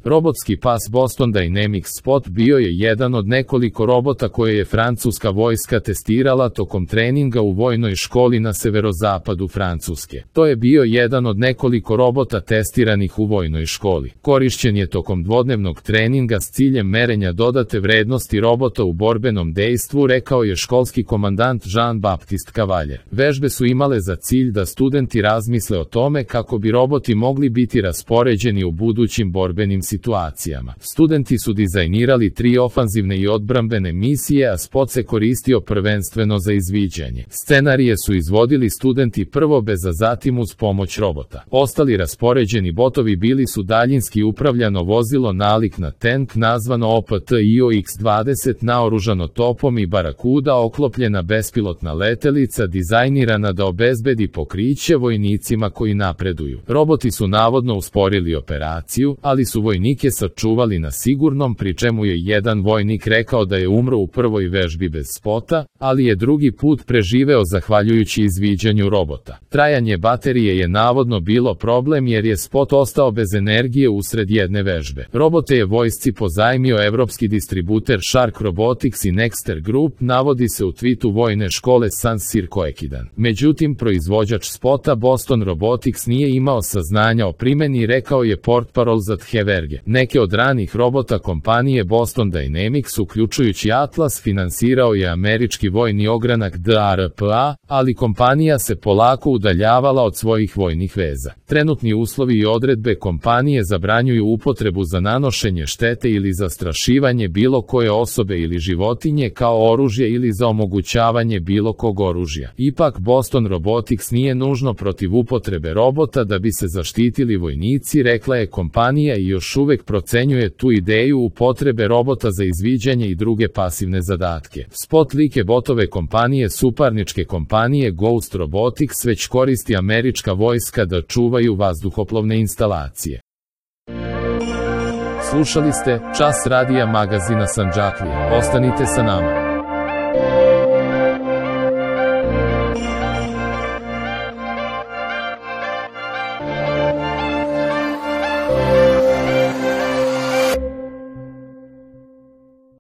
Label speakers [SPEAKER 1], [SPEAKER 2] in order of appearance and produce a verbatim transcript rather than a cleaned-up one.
[SPEAKER 1] Robotski pas Boston Dynamics Spot bio je jedan od nekoliko robota koje je francuska vojska testirala tokom treninga u vojnoj školi na severozapadu Francuske. To je bio jedan od nekoliko robota testiranih u vojnoj školi. Korišćen je tokom dvodnevnog treninga s ciljem merenja dodate vrednosti robota u borbenom dejstvu, rekao je školski komandant Jean-Baptiste Cavalier. Vežbe su imale za cilj da studenti razmisle o tome kako bi roboti mogli biti raspoređeni u budućim borbenim situacijama. Studenti su dizajnirali tri ofanzivne i odbrambene misije, a spot se koristio prvenstveno za izviđanje. Scenarije su izvodili studenti prvo bez, a zatim uz pomoć robota. Ostali raspoređeni botovi bili su daljinski upravljano vozilo nalik na tank nazvano O P T I O X dvadeset, naoružano topom i barakuda, oklopljena bespilotna letelica dizajnirana da obezbedi pokriće vojnicima koji napreduju. Roboti su navodno usporili operaciju, ali su vojnike sačuvali na sigurnom, pri čemu je jedan vojnik rekao da je umro u prvoj vežbi bez spota, ali je drugi put preživeo zahvaljujući izviđanju robota. Trajanje baterije je navodno bilo problem jer je spot ostao bez energije usred jedne vežbe. Robote je vojsci pozajmio evropski distributer Shark Robotics i Nexter Group, navodi se u twitu vojne škole Saint-Cyr Coequidan. Međutim, proizvođač spota Boston Robotics nije imao saznanja o primjeni, rekao je portparol za Tcheverge. Neke od ranih robota kompanije Boston Dynamics, uključujući Atlas, finansirao je američki vojni ogranak D A R P A, ali kompanija se polako udaljavala od svojih vojnih veza. Trenutni uslovi i odredbe kompanije zabranjuju upotrebu za nanošenje štete ili zastrašivanje bilo koje osobe ili životinje kao oružje ili za omogućavanje bilo kog oružja. Ipak Boston Robotics nije nužno protiv upotrebe robota da bi se zaštitili vojnici, rekla je kompanija, i još uvek procenjuje tu ideju upotrebe robota za izviđanje i druge pasivne zadatke. Spot like botove kompanije suparničke kompanije Ghost Robotics već koristi američka vojska da čuvaju vazduhoplovne instalacije. Slušali ste Čas radija magazina Sandžaklija. Ostanite sa nama.